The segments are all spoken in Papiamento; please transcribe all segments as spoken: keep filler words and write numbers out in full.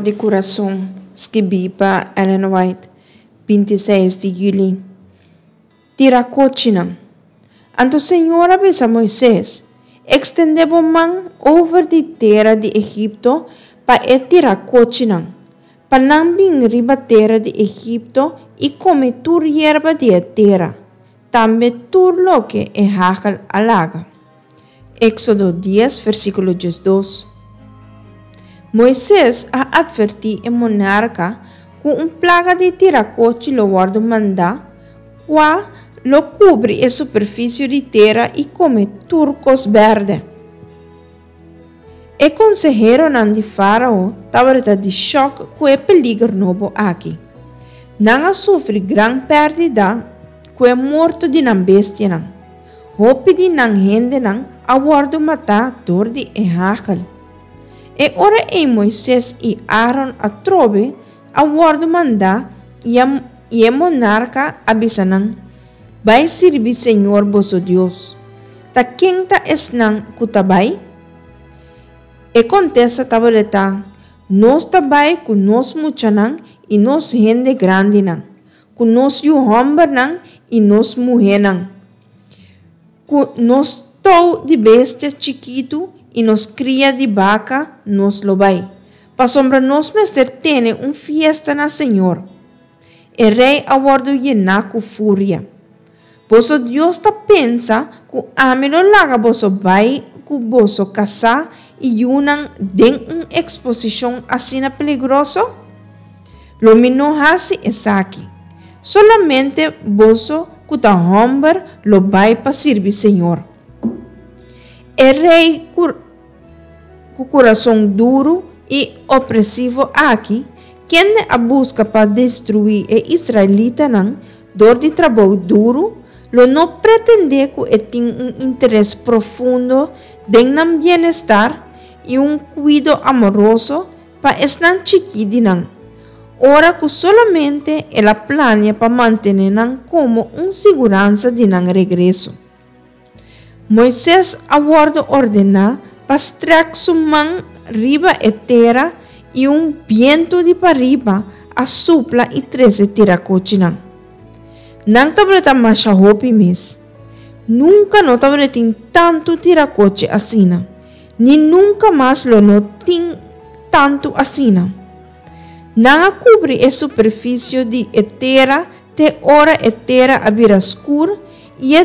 di Kurason, skibí pa Ellen White, binti seis di yüli. Tira kochinan. Anto Señor a bisa Moises, Ekstendé bo man over di tera di Egipto pa e tira kochinan, pa nan bin riba tera di Egipto i kome tur yerba di e tera, tambe tur loke e hagel a laga. Éxodo dies, versíkulo diesdos. Moises a atvertí e monarka ku un plaga di tirakochi lo wòrdu mandá, kua lo kubri e superfisio di tera i kome tur kos bèrdè. E konseheronan di Fárao tabata di shòk ku e peliger nobo aki. Nan a sufri gran pèrdida ku e morto di nan bestianan. Hopi di nan hendenan a wòrdu matá dor di e hagel. E ora ei Moises i Aaron atrobe a wòrdu mandá i e monarka a bisa nan, Bai sirbi Señor boso Dios. Ta ken ta esnan ku ta bai? E kontesta tabata, Nos ta bai ku nos muchanan i nos hende grandinan, ku nos yu hòmbernan i nos muhénan, ku nos tou di bestia chikitu i nos kria di baka nos lo bai, pasobra nos mester tene un fiesta na Señor. E rei a wòrdu yená ku furia. Boso Dios ta pensa ku ami lo laga boso bai ku boso kasá i yunan den un eksposishon asina peligroso? Lo mi no hasi esaki. Solamente boso ku ta hòmber lo bai pa sirbi Señor. E rei ku kurason duru i opresivo aki, kende a buska pa destruí e israelitanan dor di trabou duru, lo no pretendé ku e tin un interes profundo den nan bienestar i un kuido amoroso pa esnan chikí di nan, ora ku solamente el a plania pa mantené nan komo un siguransa di nan regreso. Moises a wòrdu ordená pa strèk su man riba e tera i un bientu di pariba a supla i trese tirakochinan. Nan tabata masha hopi mes. Nunka no tabatin tantu tirakochi asina, ni nunka mas lo no tin tantu asina. Nan a kubri e superfisio di e tera te ora e tera a bira skur i e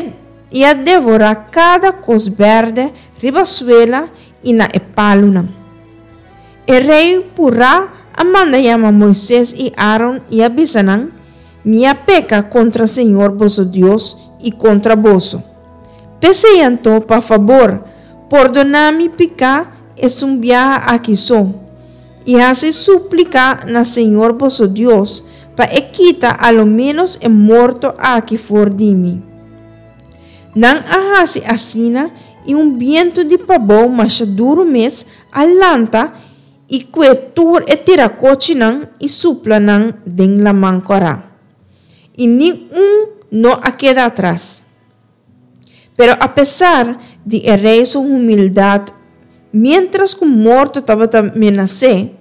i a devorá kada kos bèrdè riba suela i na e palunan. E rei purá a manda yama Moises i Aaron i a bisa nan, Mi a peka kontra señor boso Dios i kontra boso. P'esei anto, pa fabor, pordoná mi piká esun biaha aki so, i hasi súplika na señor boso Dios pa e kita a lo ménos e morto aki for di mi. Nan a hasi asina i un bientu di pabou masha duru mes a lanta i kue tur e tirakochinan i supla nan den Laman Kòrá. I ni un no a keda atras. Pero apesar di e rei su humildat, miéntras ku morto tabata menas'é,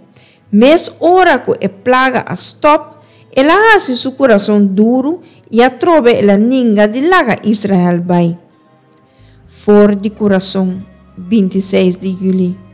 mes ora ku e plaga a stòp, el a hasi su kurason duru i atrobe el a ninga di laga Israel bai. For di Kurason, binti seis di yüli.